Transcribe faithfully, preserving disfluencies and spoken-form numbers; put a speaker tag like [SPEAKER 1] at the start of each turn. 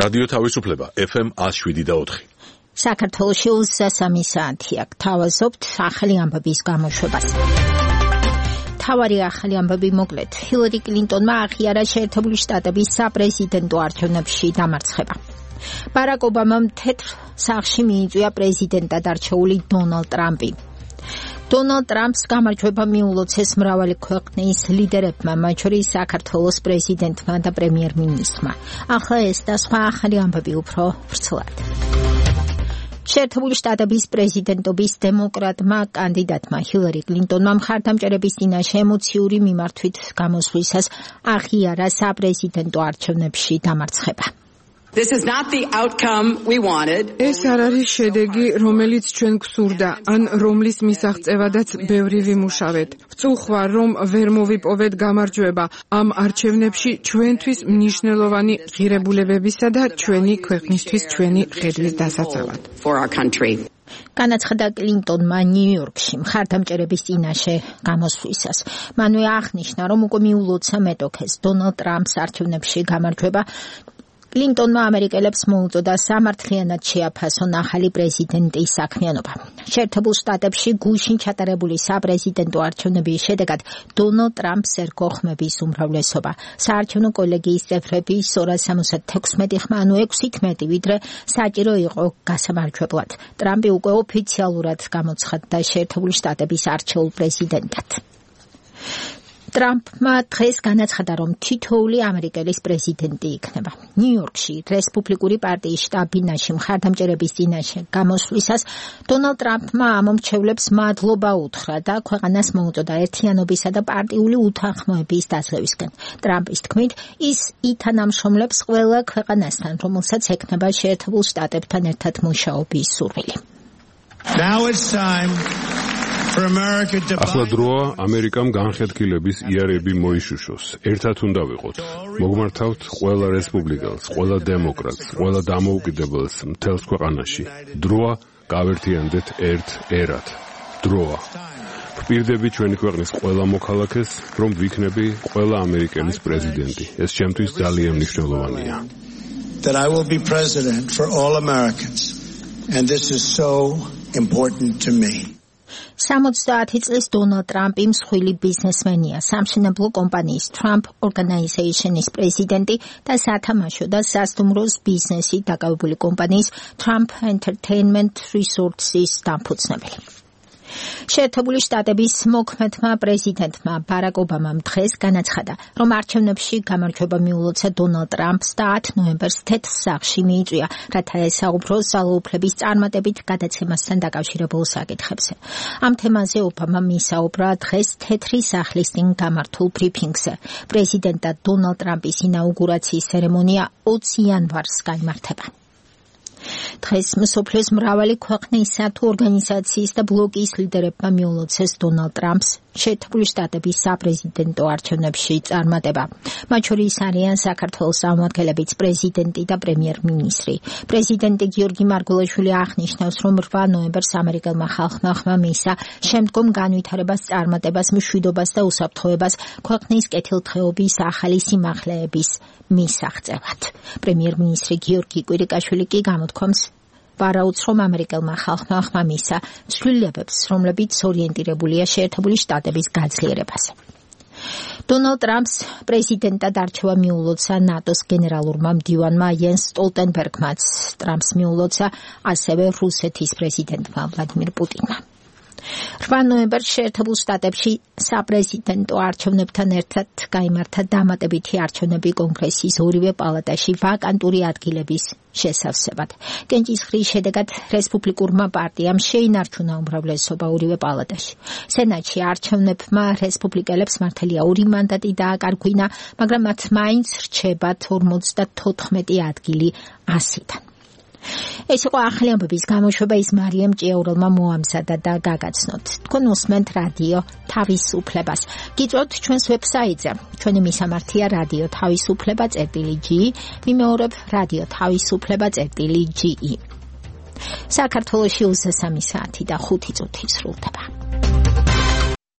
[SPEAKER 1] რადიო თავისუფლება ეფ ემ ათს შვიდი და ოთხი.
[SPEAKER 2] საქართველოში ოცდასამი საათია. გთავაზობთ ახალი ამბების გამოშვებას. თავარი ახალი ამბები მოკლედ. ჰილარი კლინტონმა აღიარა შეერთებული შტატების საპრეზიდენტო არჩევნებში დამარცხება. ბარაკ ობამამ თეთრ სახლში მიიწვია პრეზიდენტად არჩეული დონალდ ტრამპი. დონალდ ტრამპს გამარჯვება მიულოცეს მრავალი ქვეყნის ლიდერებმა, მათ შორის საქართველოს პრეზიდენტმა და პრემიერ-მინისტრმა. ახლა ეს და სხვა ახალი ამბები უფრო ვრცლად. შეერთებული შტატების პრეზიდენტობის დემოკრატმა კანდიდატმა ჰილარი კლინტონმა მხარდამჭერების წინაშე ემოციური მიმართვით გამოსვლისას აღიარა საპრეზიდენტო არჩევნებში დამარცხება.
[SPEAKER 3] This is not the outcome we wanted.
[SPEAKER 4] ეს არ არის შედეგი, რომელიც ჩვენ გვსურდა, ან რომლის მისაღწევადაც ბევრი ვიმუშავეთ. ვწუხვარ, რომ ვერ მოვიპოვეთ გამარჯვება ამ არჩევნებში ჩვენთვის მნიშვნელოვანი ღირებულებებისა და ჩვენი ქვეყნისთვის ჩვენი ხედვის დასაცავად.
[SPEAKER 3] For our country.
[SPEAKER 2] განაცხადა კლინტონმა ნიუ-იორკში მხარდამჭერების წინაშე გამოსვლისას. მანვე აღნიშნა, რომ უკვე მიულოცა მეტოქეს დონალდ ტრამპს არჩევნებში გამარჯვება. კლინტონმა ამერიკელებს მოუწოდა სამართლიანად შეაფასონ ახალი პრეზიდენტის საქმიანობა. შეერთებულ შტატებში გუშინ ჩატარებული საპრეზიდენტო არჩევნების შედეგად დონალდ ტრამპს ერგო ხმების უმრავლესობა. საარჩევნო კოლეგიის წევრები ორას სამოცდათექვსმეტი ხმა, ანუ ექვსით მეტი, ვიდრე საჭირო იყო გასამარჯვებლად. ტრამპი უკვე ოფიციალურად გამოცხადდა შეერთებული შტატების არჩეულ პრეზიდენტად. ტრამპმა დღეს განაცხადა, რომ თითოეული ამერიკელის პრეზიდენტი იქნება. ნიუ-იორკში რესპუბლიკური პარტიის შტაბ-ბინაში მხარდამჭერების წინაშე გამოსვლისას დონალდ ტრამპმა ამომრჩევლებს მადლობა უთხრა და ქვეყანას მოუწოდა ერთიანობისა და პარტიული უთანხმოების დაძლევისკენ. ტრამპის თქმით, ის ითანამშრომლებს ყველა ქვეყანასთან, რომელსაც ექნება შეერთებულ შტატებთან ერთად მუშაობის სურვილი.
[SPEAKER 5] Now it's time
[SPEAKER 6] ახლა დროა ამერიკამ განხეთქილების იარები მოიშუშოს. ერთად უნდა ვიყოთ. მოგმართავთ ყველა რესპუბლიკელს, ყველა დემოკრატს, ყველა დამოუკიდებელს მთელს ქვეყანაში. დროა გავერთიანდეთ ერთ ერად. დროა. ვპირდები ჩვენი ქვეყნის ყველა მოქალაქეს, რომ ვიქნები ყველა ამერიკელის პრეზიდენტი. ეს ჩემთვის ძალიან მნიშვნელოვანია.
[SPEAKER 5] That I will be president for all Americans. And this is so important to me.
[SPEAKER 2] სამოცდაათი წლის დონალდ ტრამპი მსხვილი ბიზნესმენია, სამშენებლო კომპანიის Trump Organization-ის პრეზიდენტი და სათამაშო და სასტუმროს ბიზნესით დაკავებული კომპანიის Trump Entertainment Resorts-ის დამფუძნებელი. შეერთებული შტატების მოქმედმა პრეზიდენტმა ბარაკ ობამამ დღეს განაცხადა, რომ არჩევნებში გამარჯვება მიულოცა დონალდ ტრამპს და ათი ნოემბერს თეთრ სახლში მიიწვია, რათა ესაუბროს ძალაუფლების წარმატებით გადაცემასთან დაკავშირებულ საკითხებზე. ამ თემაზე ობამამ ისაუბრა დღეს თეთრი სახლის წინ გამართულ ბრიფინგზე. პრეზიდენტად დონალდ ტრამპის ინაუგურაციის ცერემონია ოცი იანვარს გაიმართება. დღეს მსოფლიოს მრავალი ქვეყნისა თუ ორგანიზაციის და ბლოკის ლიდერებმა მიულოცეს დონალდ ტრამპს შეერთებული შტატების საპრეზიდენტო არჩევნებში წარმატება. მათ შორის არიან საქართველოს წარმომადგენლებიც პრეზიდენტი და პრემიერ-მინისტრი. პრეზიდენტი გიორგი მარგველაშვილი აღნიშნავს, რომ რვა ნოემბერს ამერიკელმა ხალხმა ხმა მისცა შემდგომ განვითარებას, წარმატებას, მშვიდობას და უსაფრთხოებას ქვეყნის კეთილდღეობის ახალი სიმაღლეების მისაღწევად. პრემიერ-მინისტრი გიორგი კვირიკაშვილი კი გამოთქვამს, ვარაუდს, რომ ამერიკელმა ხალხმა ხმა მისცა ცვლილებებს, რომლებიც ორიენტირებულია შეერთებული შტატების გაძლიერებაზე. დონალდ ტრამპს პრეზიდენტად არჩევა მიულოცა ნატოს გენერალურმა მდივანმა იენს სტოლტენბერგმაც. ტრამპს მიულოცა ასევე რუსეთის პრეზიდენტმა ვლადიმირ პუტინმა. რვა ნოემბერს შეერთებულ შტატებში საპრეზიდენტო არჩევნებთან ერთად გაიმართა დამატებითი არჩევნები კონგრესის ორივე პალატაში ვაკანტური ადგილების შესავსებად. კენჭისყრის შედეგად რესპუბლიკურმა პარტიამ შეინარჩუნა უმრავლესობა ორივე პალატაში. სენატში არჩევნებმა რესპუბლიკელებს მართალია ორი მანდატი დააკარგვინა, მაგრამ მათ მაინც რჩებათ ორმოცდათოთხმეტი ადგილი ასიდან. ეს იყო ახალი ამბების გამოშვება, ის მარიამ ჭიაურელმა მოამზადა და გაგაცნოთ. თქვენ უსმენთ რადიო თავისუფლებას. გიწვევთ ჩვენს ვებსაიტზე. ჩვენი მისამართია რადიო თავისუფლება წერტილი ჯი, ვიმეორებ რადიო თავისუფლება წერტილი ჯი. საქართველოში ოცდასამი საათი და ხუთი წუთი სრულდება.